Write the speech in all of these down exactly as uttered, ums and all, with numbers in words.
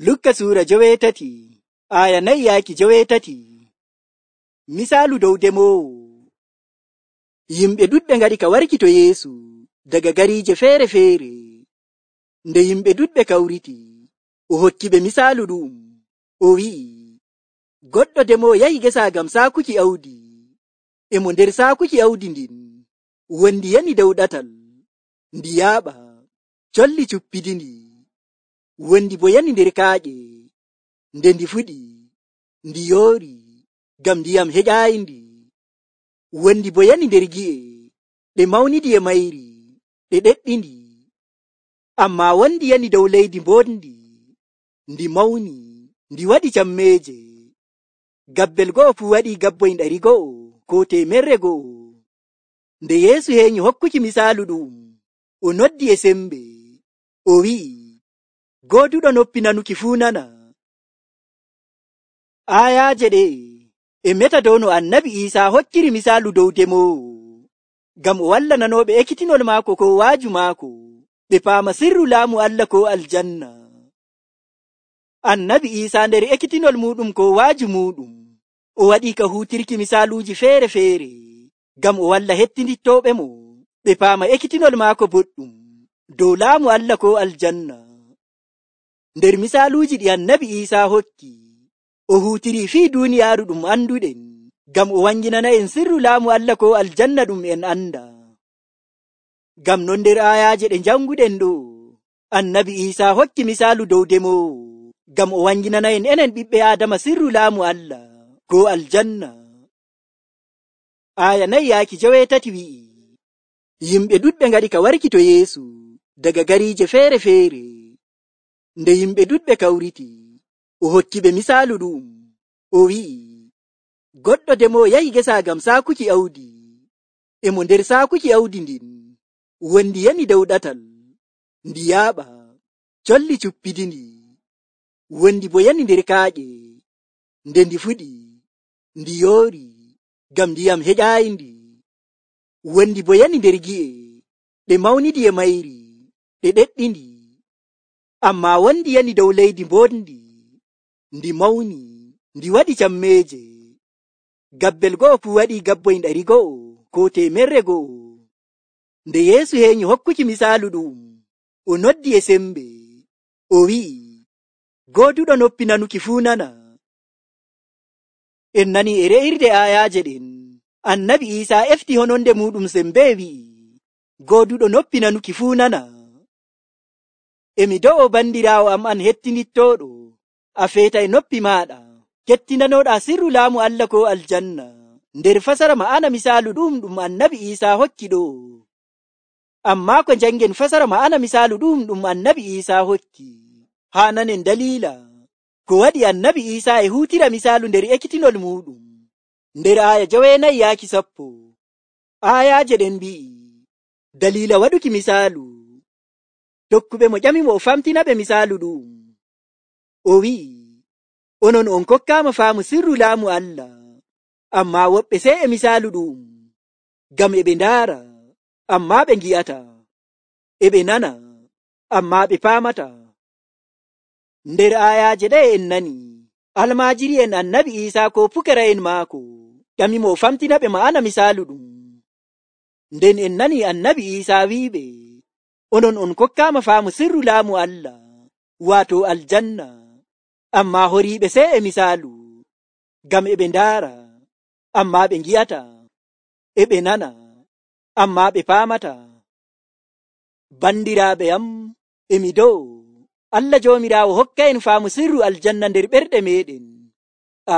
Lukka suura joweetati aya nayi yaaki joweetati. Misaalu dow demoowo. Yimɓe ɗuɗɓe ngaɗi ka warki to Yeesu daga gariije feere-feere. Nde yimɓe ɗuɗɓe kawriti, o hokki ɓe misaalu ɗu'um. O wi'i, goɗɗo demoowo yahi gesa ngam saakuki awdi. E mo nder saakuki awdi ndin, wondi yani dow ɗatal, ndi yaaɓa, colli cuppidindi. Wondi bo yani nder kaaƴe. Nde ndi fuɗi, ndi yoori, ngam ndiyam heƴaayindi. Wondi bo yani nder gi'e, ɗe mawnidi e mayri, ɗe ɗeɗɗindi. Ammaa wondi yani dow leydi mbondi, ndi mawni, ndi waɗi cammeeje. Gabbel go'o fuu waɗi gabboyn ɗari go'o ko teemerre go'o. Nde Yeesu heeƴi hokkuki misaalu ɗu'um, o noddi e sembe, o wi'i, gooduɗo noppi nanuki fuu nana. Aayaaje ɗe e meta dow no Annabi Iisaa hokkiri misaalu dow demoowo, ngam o walla nanooɓe ekkitinol maako ko waaju maako, ɓe paama sirru laamu Allah ko aljanna. Annabi Iisaa nder ekkitinol muuɗum ko waaju muuɗum, o waɗii ka huutirki misaaluuji feere-feere, ngam o walla hettindittooɓe mo, ɓe paama ekkitinol maako boɗɗum dow laamu Allah ko aljanna. Nder misaaluuji ɗi Annabi Iisaa hokki, o huutirii fii duuniyaaru ɗum anduɗen, ngam o wanginana en sirru laamu Allah ko aljanna ɗum en anda. Ngam non nder aayaaje ɗe janguɗen ɗo, Annabi Iisaa hokki misaalu dow demoowo, ngam o wanginana en enen ɓiɓɓe Aadama sirru laamu Allah ko aljanna. Aya nayi yaaki joweetati wi'i, yimɓe ɗuɗɓe ngaɗi ka warki to Yeesu daga gariije feere-feere. Nde yimɓe ɗuɗɓe kawriti, o hokki ɓe misaalu ɗu'um. O wi'i, goɗɗo demoowo yahi gesa ngam saakuki awdi. E mo nder saakuki awdi ndin, wondi yani dow ɗatal, ndi yaaɓa, colli cuppidindi. Wondi bo yani nder kaaƴe. Nde ndi fuɗi, ndi yoori, ngam ndiyam heƴaayindi. Wondi bo yani nder gi'e, ɗe mawnidi e mayri, ɗe ɗeɗɗindi. Ammaa wondi yani dow leydi mbondi, ndi mawni, ndi waɗi cammeeje. Gabbel go'o fuu waɗi gabboyn ɗari go'o ko teemerre go'o. Nde Yeesu heeƴi hokkuki misaalu ɗu'um, o noddi e sembe, o wi'i, gooduɗo noppi nanuki fuu nana. En nani e re'irde aayaaje ɗen, Annabi Iisaa efti hononde muuɗum sembe wi'i, gooduɗo noppi nanuki fuu nana. Emi do'o bandiraawo am an hettinittooɗo, a feeta e noppi maaɗa, kettinanooɗaa sirru laamu Allah ko aljanna, nder fasara ma'ana misaalu ɗum ɗum Annabi Iisaa hokki ɗo. Ammaa ko jangen fasara ma'ana misaalu ɗum ɗum Annabi Iisaa hokki, haa nanen daliila ko waɗi Annabi Iisaa e huutira misaalu nder ekkitinol muuɗum. Nder aaya joweenayi yaaki sappo, aayaaje ɗen mbi'i, daliila waɗuki misaalu. Tokkuɓe mo ƴamimo o famtina ɓe misaalu ɗum. O wi'i, onon on kokkaama faamu sirru laamu Allah, ammaa woɓɓe sey e misaalu ɗum, ngam e ɓe ndaara, ammaa ɓe ngi'ata, e ɓe nana, ammaa ɓe paamata. Nder aayaaje ɗe en nani, almaajiri'en Annabi Iisaa ko pukara'en maako ƴamimo o famtina ɓe ma'ana misaalu ɗum. Nden en nani Annabi Iisaa wi'iɓe, onon on kokkaama faamu sirru laamu Allah, waato aljanna, ammaa horiiɓe sey e misaalu, ngam e ɓe ndaara, ammaa ɓe ngi'ata, e ɓe nana, ammaa ɓe paamata. Bandiraaɓe am, emi dow, Allah Joomiraawo hokka en faamu sirru aljanna nder ɓerɗe meeɗen.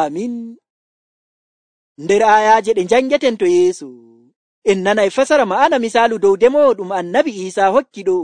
Amin. Nder aayaaje ɗe njangeten to Yeesu, en nana e fasara ma'ana misaalu dow demoowo ɗum Annabi Iisaa hokki ɗo.